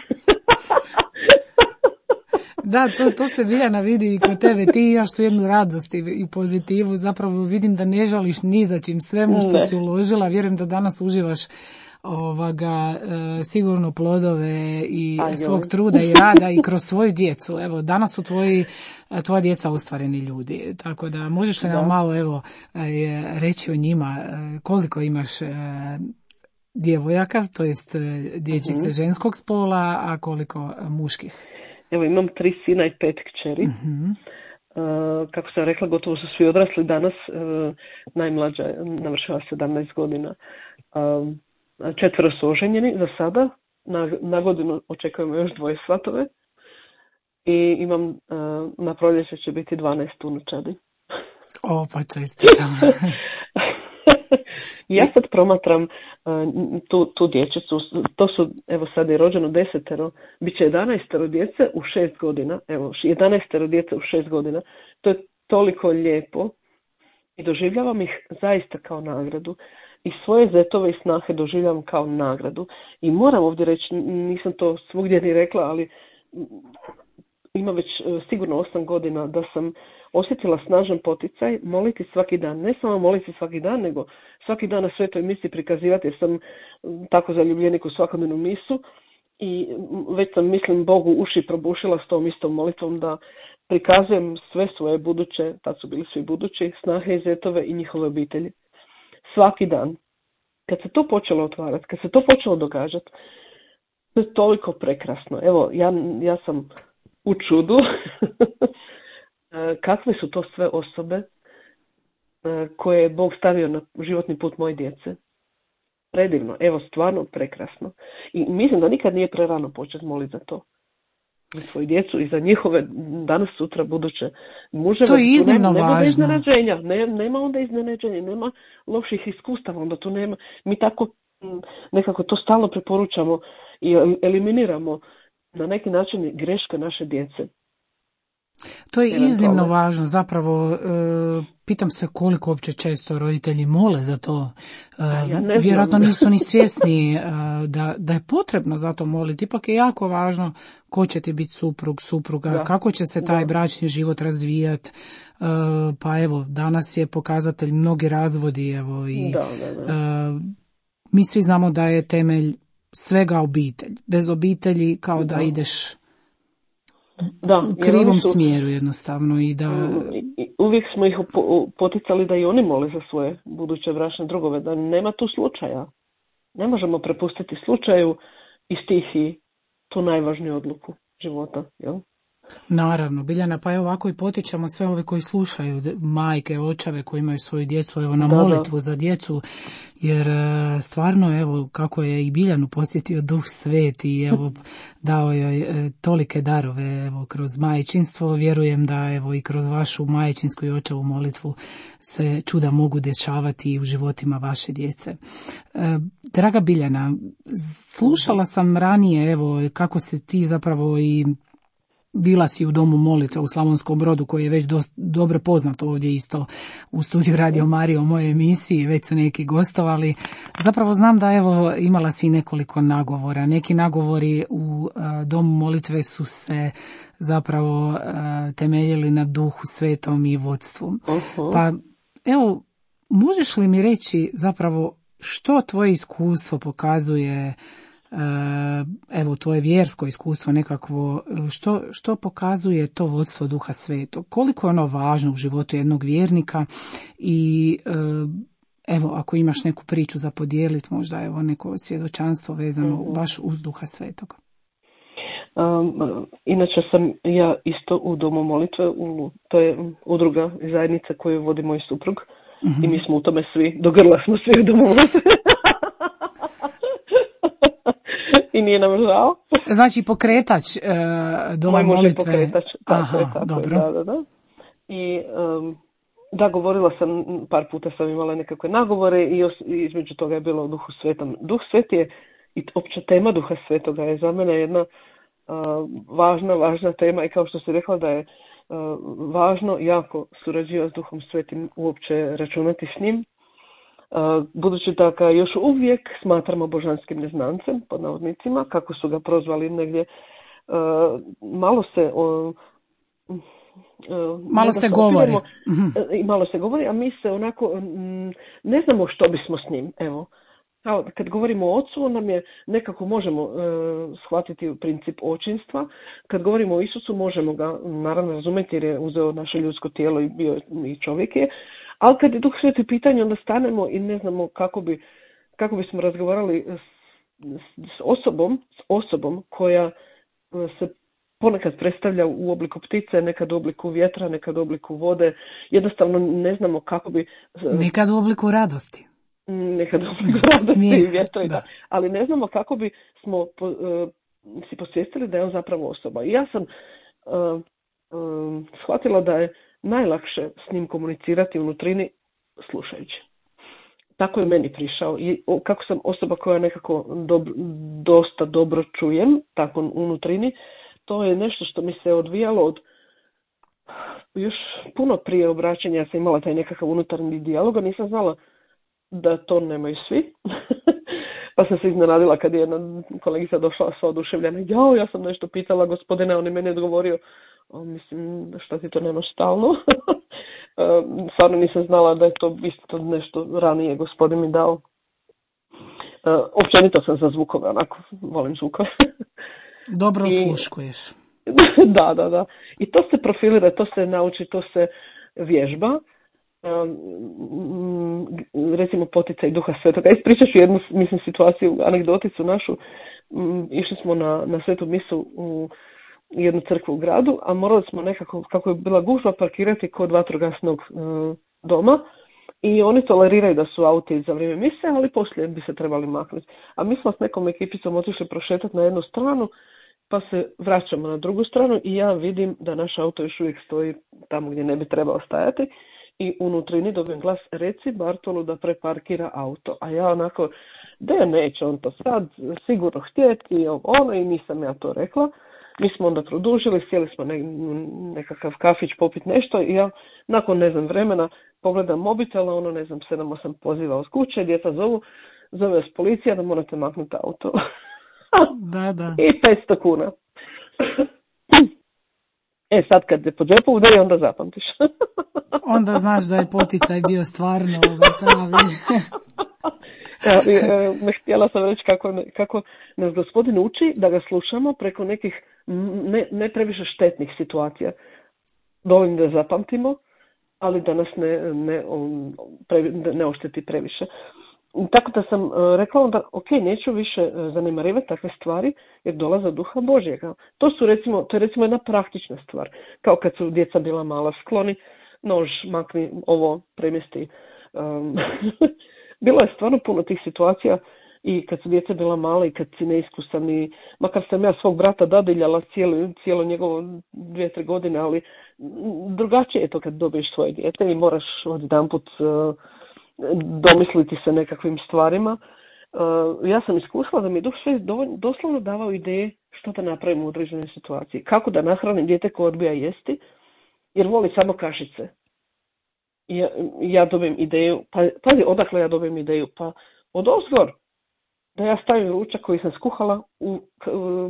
Da, to se Biljana vidi i kod tebe. Ti imaš tu jednu radost i pozitivu. Zapravo vidim da ne žališ ni za čim, svemu što si uložila. Vjerujem da danas uživaš sigurno plodove i svog truda i rada i kroz svoju djecu. Evo, danas su tvoja djeca ostvareni ljudi. Tako da možeš li nam malo reći o njima koliko imaš djevojaka, to jest dječjice ženskog spola, a koliko muških? Evo, imam 3 sina i 5 kćeri. Kako sam rekla, gotovo su svi odrasli danas. Najmlađa navršava 17 godina. 4 su oženjeni za sada. Na godinu očekujemo još 2 svatove. I imam, na proljeće će biti 12 unučadi. O, pa čestitam. Ja sad promatram tu dječicu, to su, evo sad je rođeno 10, bit će 11 djece u 6 godina, evo 11 djece u 6 godina, to je toliko lijepo i doživljavam ih zaista kao nagradu i svoje zetove i snahe doživljavam kao nagradu i moram ovdje reći, nisam to svugdje ni rekla, ali ima već sigurno 8 godina da sam osjetila snažan poticaj moliti svaki dan. Ne samo moliti svaki dan, nego svaki dan na svetoj misi prikazivati, jer sam tako zaljubljenik u svakodnevnu misu i već sam, mislim, Bogu uši probušila s tom istom molitvom da prikazujem sve svoje buduće, tad su bili svi budući, snahe i zetove i njihove obitelji. Svaki dan. Kad se to počelo otvarati, kad se to počelo događati, to je toliko prekrasno. Evo, ja sam u čudu kakve su to sve osobe koje je Bog stavio na životni put moje djece. Predivno, evo, stvarno prekrasno. I mislim da nikad nije prerano početi moliti za to. Za svoju djecu i za njihove danas, sutra, buduće muževe. To je iznimno važno. Nema iznenađenja, nema onda iznenađenja, nema loših iskustava, onda tu nema. Mi tako nekako to stalno preporučamo i eliminiramo na neki način greške naše djece. To je iznimno važno, zapravo pitam se koliko uopće često roditelji mole za to. Vjerojatno nisu ni svjesni da je potrebno za to moliti. Ipak je jako važno ko će ti biti supruga, kako će se taj bračni život razvijati. Pa evo, danas je pokazatelj mnogi razvodi. Evo, i, mi svi znamo da je temelj svega obitelj. Bez obitelji kao da ideš u krivom smjeru jednostavno. I da... Uvijek smo ih poticali da i oni mole za svoje buduće bračne drugove, da nema tu slučaja. Ne možemo prepustiti slučaju i stihiji tu najvažniju odluku života, jel? Naravno, Biljana, pa evo ovako i potičemo sve ove koji slušaju, majke, očeve koji imaju svoju djecu, evo na molitvu za djecu, jer stvarno, evo, kako je i Biljanu posjetio Duh Sveti i evo dao joj tolike darove, evo, kroz majčinstvo, vjerujem da evo i kroz vašu majčinsku i očevu molitvu se čuda mogu dešavati i u životima vaše djece. Draga Biljana, slušala sam ranije, evo, kako se ti zapravo i bila si u domu molitve u Slavonskom Brodu, koji je već dobro poznat ovdje isto u studiju Radio Marija u mojoj emisiji, već su neki gostovali. Zapravo znam da evo imala si nekoliko nagovora. Neki nagovori u domu molitve su se zapravo temeljili na Duhu Svetom i vodstvu. Pa evo, možeš li mi reći zapravo što tvoje iskustvo pokazuje, evo tvoje vjersko iskustvo nekakvo, što pokazuje to vodstvo Duha Svetog? Koliko je ono važno u životu jednog vjernika i evo ako imaš neku priču za podijeliti, možda evo neko svjedočanstvo vezano baš uz Duha Svetog. Inače sam ja isto u domu molitve, to je udruga i zajednica koju vodi moj suprug i mi smo u tome svi, do grla smo svi u domu molitve. I nije nam žao. Znači pokretač doma molitve. Moj muž je pokretač. Tako, dobro. Da. I da, govorila sam, par puta sam imala nekakve nagovore i između toga je bilo o Duhu Svetom. Duh Svet je, i opća tema Duha Svetoga je za mene jedna važna tema i kao što si rekla da je važno jako surađivati s Duhom Svetim, uopće računati s njim. Budući da ga još uvijek smatramo božanskim neznancem, pod navodnicima, kako su ga prozvali negdje, malo se govori, a mi se onako ne znamo što bismo s njim. Evo, kad govorimo o ocu, nam je nekako možemo shvatiti princip očinstva. Kad govorimo o Isusu, možemo ga naravno razumjeti jer je uzeo naše ljudsko tijelo i bio i čovjek je. Ali kad je Duh Sveti pitanje, onda stanemo i ne znamo kako bismo razgovarali s osobom koja se ponekad predstavlja u obliku ptice, nekad u obliku vjetra, nekad u obliku vode. Jednostavno ne znamo kako bi... Nekad u obliku radosti. Nekad u obliku radosti i vjetra, da. Ali ne znamo kako bi smo si posvijestili da je on zapravo osoba. I ja sam shvatila da je najlakše s njim komunicirati u nutrini slušajući. Tako je meni prišao. I kako sam osoba koja nekako dosta dobro čujem, tako u nutrini, to je nešto što mi se odvijalo od još puno prije obraćanja. Ja sam imala taj nekakav unutarnji dijalog, a nisam znala da to nemaju svi. Pa sam se iznenadila kad je jedna kolegica došla sva oduševljena. Ja sam nešto pitala gospodina, on je meni odgovorio Mislim, što ti to nemaš stalno. Stvarno nisam znala da je to isto nešto ranije gospodin mi dao. Općenito sam za zvukove, onako, volim zvukove. Dobro osluškuješ. Da. I to se profilira, to se nauči, to se vježba. Recimo poticaj Duha Svetoga. Ispričat ću jednu, mislim, situaciju, anegdoticu našu. Išli smo na svetu misu u jednu crkvu u gradu, a morali smo nekako, kako je bila gužva, parkirati kod vatrogasnog doma. I oni toleriraju da su auti za vrijeme mise, ali poslije bi se trebali maknuti. A mi smo s nekom ekipicom otišli prošetati na jednu stranu, pa se vraćamo na drugu stranu i ja vidim da naš auto još uvijek stoji tamo gdje ne bi trebao stajati. I unutrini dobijem glas, reci Bartolu da preparkira auto. A ja onako, da neće on to sad sigurno htjeti, i nisam ja to rekla. Mi smo onda produžili, sjeli smo nekakav kafić popiti nešto i ja nakon vremena pogledam mobitel, 7-8 poziva od kuće, djeca zove vas policija da morate maknuti auto. Da. I 500 kuna. Sad kad je po džepu udari, onda zapamtiš. Onda znaš da je poticaj bio stvarno pravi. Htjela sam reći kako nas gospodin uči da ga slušamo preko nekih ne previše štetnih situacija. Dovoljno da zapamtimo, ali da nas ne ošteti previše. Tako da sam rekla onda, neću više zanemarivati takve stvari jer dolaze od Duha Božjega. To je recimo jedna praktična stvar. Kao kad su djeca bila mala, skloni nož, makni ovo, premjesti. Bilo je stvarno puno tih situacija i kad su djeca bila mala i kad si neiskusan i makar sam ja svog brata dadiljala cijelo njegovo 2-3 godine, ali drugačije je to kad dobiješ svoje dijete i moraš odjedanput domisliti se nekakvim stvarima. Ja sam iskusila da mi je Duh Sveti doslovno davao ideje što da napravim u određenoj situaciji. Kako da nahranim dijete koje odbija jesti jer voli samo kašice. Ja dobijem ideju, pazi odakle ja dobijem ideju, pa od ozgor da ja stavim ručak koji sam skuhala u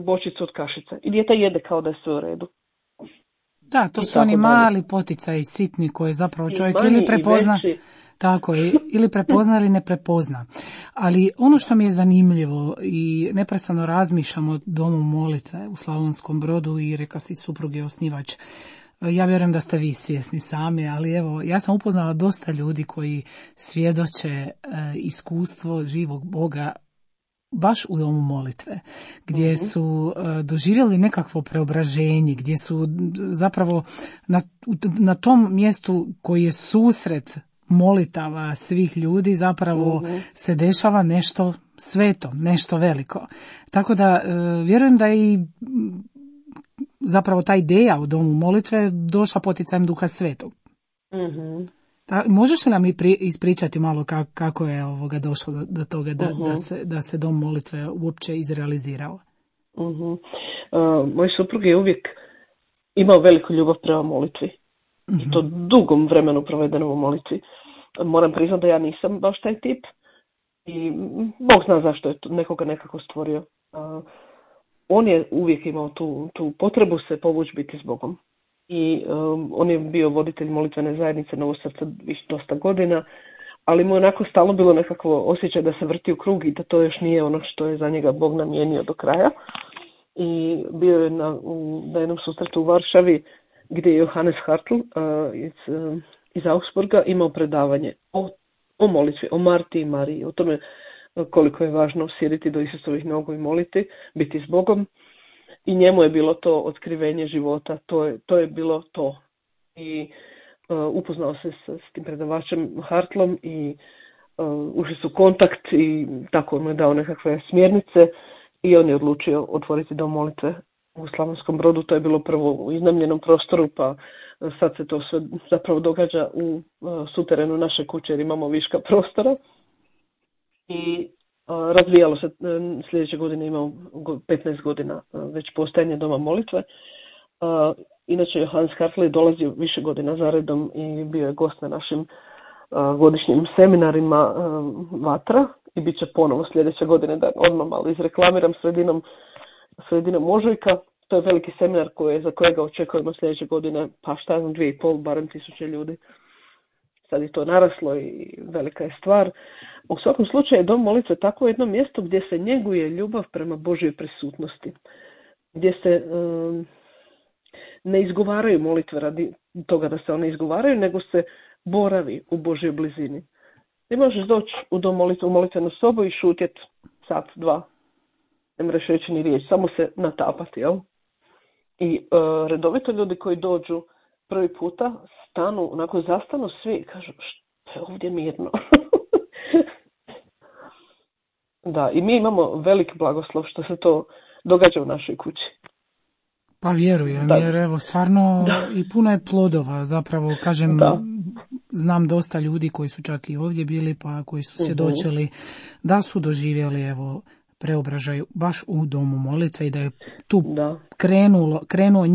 bočicu od kašice i dijete jede kao da je sve u redu. Da, to su oni mali poticaji sitni koje zapravo čovjek ili prepozna, tako je, ili prepozna ili ne prepozna. Ali ono što mi je zanimljivo i neprestano razmišljam o domu molitve u Slavonskom Brodu i reka si suprug je osnivač. Ja vjerujem da ste vi svjesni sami, ali evo, ja sam upoznala dosta ljudi koji svjedoče iskustvo živog Boga baš u domu molitve, gdje su doživjeli nekakvo preobraženje, gdje su zapravo na tom mjestu koji je susret molitava svih ljudi zapravo se dešava nešto sveto, nešto veliko. Tako da vjerujem da i zapravo ta ideja u domu molitve došla poticajem Duha Svetog. Možeš li nam ispričati malo kako je došlo do toga da se dom molitve uopće izrealizirao? Moj suprug je uvijek imao veliku ljubav prema molitvi. I to dugom vremenu provedenom u molitvi. Moram priznati da ja nisam baš taj tip i Bog zna zašto je nekoga nekako stvorio. On je uvijek imao tu potrebu se povući biti s Bogom. I on je bio voditelj molitvene zajednice Novo srce dosta godina, ali mu je onako stalno bilo nekako osjećaj da se vrti u krug i da to još nije ono što je za njega Bog namijenio do kraja. I bio je na jednom susretu u Varšavi gdje je Johannes Hartl iz Augsburga imao predavanje o molitvi, o Marti i Mariji, o tome koliko je važno sjediti do Isusovih nogu i moliti, biti s Bogom. I njemu je bilo to otkrivenje života, to je bilo to. I upoznao se s tim predavačem Hartlom i ušli su kontakt i tako on mu je dao nekakve smjernice i on je odlučio otvoriti dom molitve u Slavonskom Brodu. To je bilo prvo u iznajmljenom prostoru, pa sad se to sve zapravo događa u suterenu naše kuće jer imamo viška prostora. I razvijalo se, sljedeće godine imao 15 godina već postojanje doma molitve. Inače Johannes Hartl je dolazio više godina zaredom i bio je gost na našim godišnjim seminarima Vatra i bit će ponovo sljedeće godine, da odmah malo izreklamiram sredinom ožujka. To je veliki seminar za kojega očekujemo sljedeće godine, pa šta znam, 2,5, barem 1000 ljudi. Sad je to naraslo i velika je stvar. U svakom slučaju dom molitve je tako jedno mjesto gdje se njeguje ljubav prema Božjoj prisutnosti. Gdje se ne izgovaraju molitve radi toga da se one izgovaraju, nego se boravi u Božjoj blizini. Ti možeš doći u dom molitve, u molitvenu sobu i šutjeti sat, dva. Ne mreš reći ni riječ, samo se natapati, jel? I redovito ljudi koji dođu prvi puta stanu, onako zastanu svi i kažu što je ovdje mirno. Da, i mi imamo velik blagoslov što se to događa u našoj kući. Pa vjerujem, jer evo stvarno i puno je plodova, zapravo kažem, znam dosta ljudi koji su čak i ovdje bili, pa koji su svjedočili da su doživjeli evo preobražaj baš u domu molitve i da je tu krenuo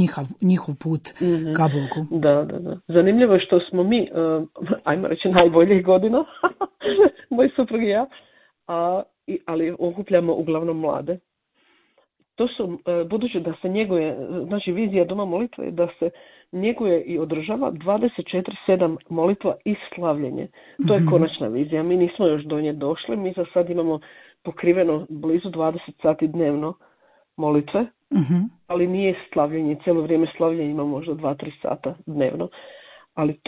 njihov put ka Bogu. Da. Zanimljivo je što smo mi, ajmo reći, najboljih godina, moj suprug i ja, ali okupljamo uglavnom mlade. To su, budući da se njeguje, znači vizija doma molitve je da se njeguje i održava 24/7 molitva i slavljenje. To je konačna vizija. Mi nismo još do nje došli. Mi za sad imamo pokriveno blizu 20 sati dnevno molitve, ali nije slavljenje. Cijelo vrijeme slavljenje ima možda 2-3 sata dnevno. Ali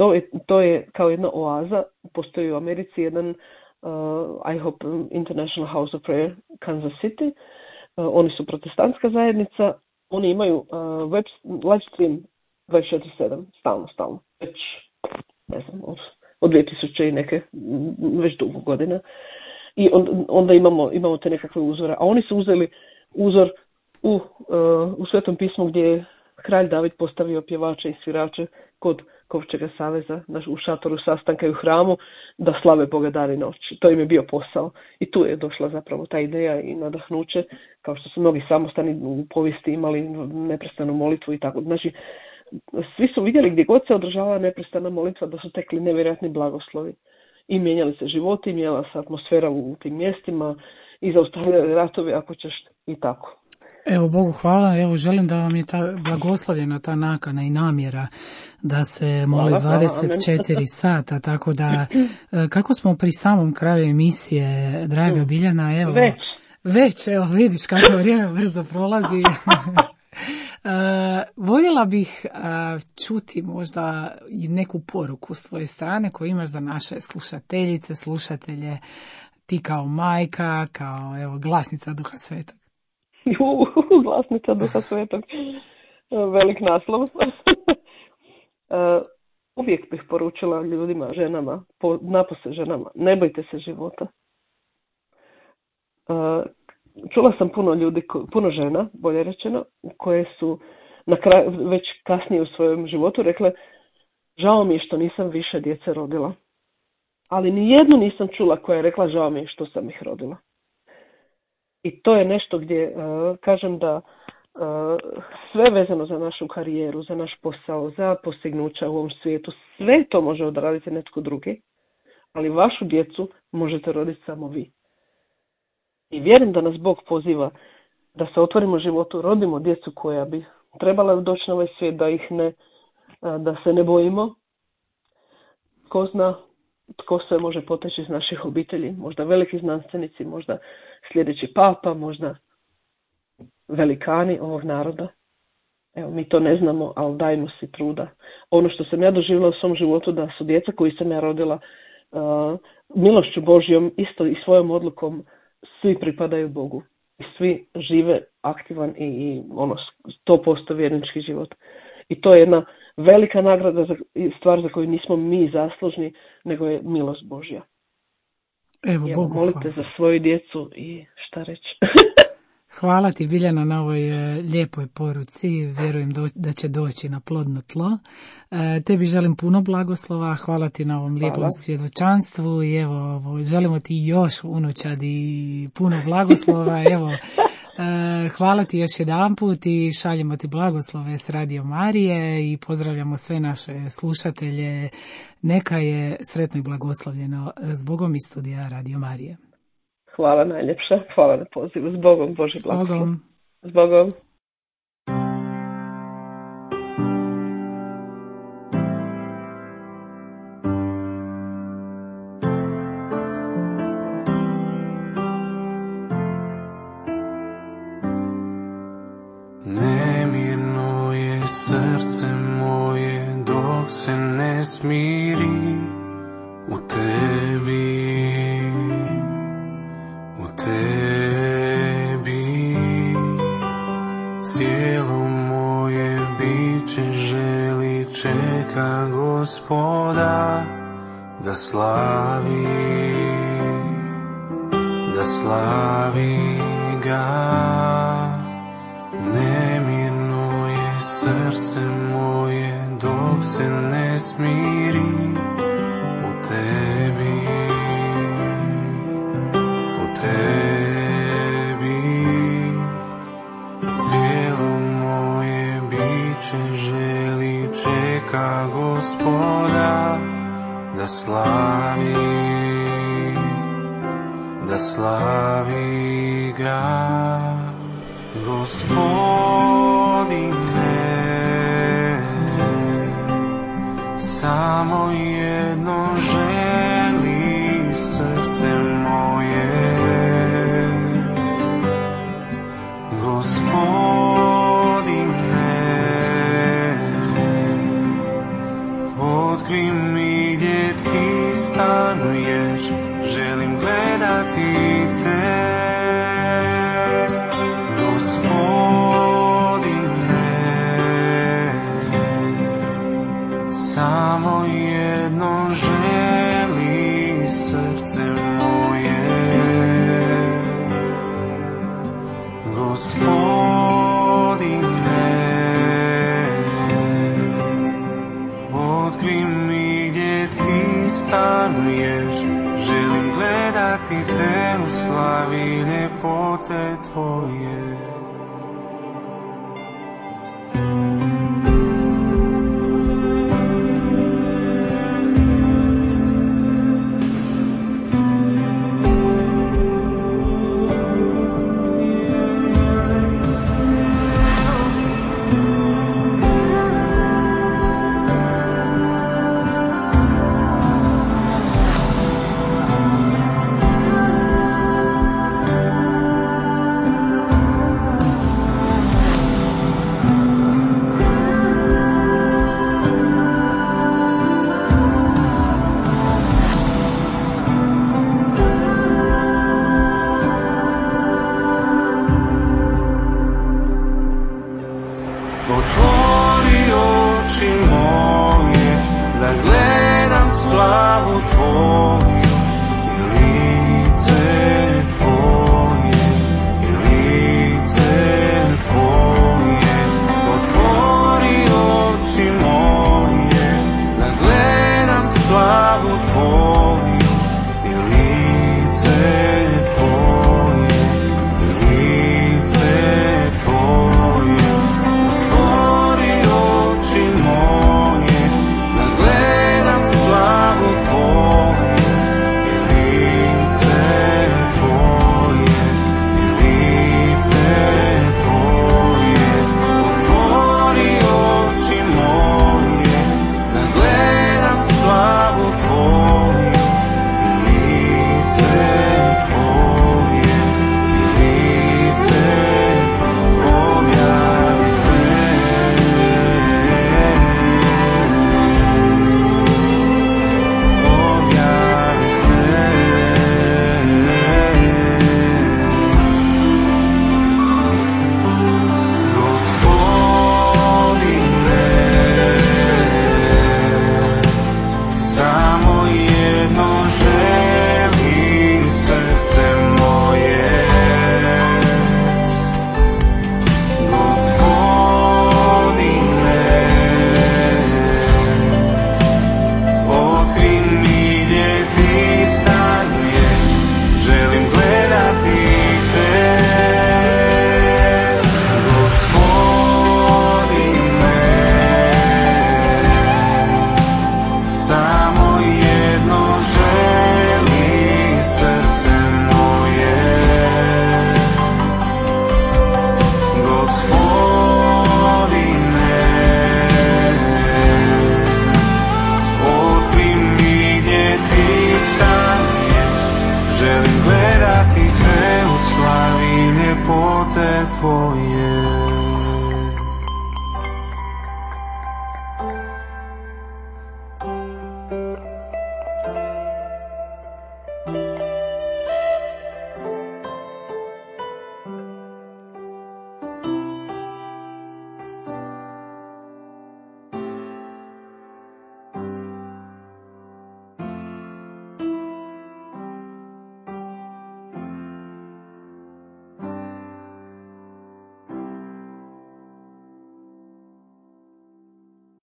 to je kao jedna oaza. Postoji u Americi jedan I Hope International House of Prayer Kansas City. Oni su protestantska zajednica. Oni imaju live stream 24/7, stalno. Već, ne znam, od 2000 i neke, već dugo godina. I onda imamo te nekakve uzore. A oni su uzeli uzor u Svetom pismu gdje je kralj David postavio pjevače i svirače kod Kovčega saveza u šatoru sastanka i u hramu da slave Boga dan i noć. To im je bio posao. I tu je došla zapravo ta ideja i nadahnuće, kao što su mnogi samostani u povijesti imali neprestanu molitvu i tako. Znači, svi su vidjeli gdje god se održavala neprestana molitva da su tekli nevjerojatni blagoslovi. I mijenjali se životi, mijenjala se atmosfera u tim mjestima i zaustavljali ratovi ako ćeš i tako. Evo Bogu hvala, evo želim da vam je ta blagoslovljena ta nakana i namjera da se moli 24 sata, tako da kako smo pri samom kraju emisije, draga Biljana, evo već evo vidiš kako vrijeme brzo prolazi. Voljela bih čuti možda i neku poruku s svoje strane koju imaš za naše slušateljice, slušatelje, ti kao majka, kao evo glasnica Duha Svetog. Glasnica Duha Svetog, velik naslov. Uvijek bih poručila ljudima, ženama, napose ženama, ne bojte se života. Čula sam puno ljudi, puno žena, bolje rečeno, koje su na kraju, već kasnije u svojem životu rekle, žao mi je što nisam više djece rodila. Ali ni jednu nisam čula koja je rekla, žao mi je što sam ih rodila. I to je nešto gdje kažem da sve vezano za našu karijeru, za naš posao, za postignuća u ovom svijetu, sve to može odraditi netko drugi, ali vašu djecu možete roditi samo vi. I vjerujem da nas Bog poziva da se otvorimo životu, rodimo djecu koja bi trebala doći na ovaj svijet, da se ne bojimo. Ko zna tko sve može poteći iz naših obitelji, možda veliki znanstvenici, možda sljedeći papa, možda velikani ovog naroda. Evo, mi to ne znamo, ali dajmo si truda. Ono što sam ja doživjela u svom životu, da su djeca koji sam ja rodila milošću Božjom, isto i svojom odlukom, svi pripadaju Bogu. I svi žive aktivan i 100% vjernički život. I to je jedna velika nagrada, stvar za koju nismo mi zaslužni, nego je milost Božja. Evo, Bogu molite hvala. za svoju djecu i šta reći. Hvala ti, Biljana, na ovoj lijepoj poruci. Vjerujem da će doći na plodno tlo. Tebi želim puno blagoslova. Hvala ti na ovom lijepom svjedočanstvu. I evo, želimo ti još unučadi i puno blagoslova. Evo, hvala ti još jedanput i šaljemo ti blagoslove s Radio Marije i pozdravljamo sve naše slušatelje. Neka je sretno i blagoslovljeno s Bogom iz studija Radio Marije. Hvala najljepša, hvala na pozivu. S Bogom, Bože blagoslov. S Bogom. smiri u tebi, u tebi. Cijelo moje biće želi, čeka Gospoda da slavi ga. Nemirno je srce moje dok se ne smiri u tebi, u tebi. Cijelo moje biće želi, čeka Gospoda da slavi ga. Gospodine, samo jedno želi srce moje. Gospodine, otkri mi gdje ti stanuješ, želim gledati te. Samo jedno želi srce moje. Gospodine, otkri mi gdje ti stanuješ, želim gledati te u slavi ljepote tvoje. Otvori oči moje, da gledam slavu tvoju i lice tvoje, i lice tvoje. Otvori oči moje, da gledam slavu tvoju i lice tvoje, i lice tvoje. Želim gledati te u slavi ljepote tvoje.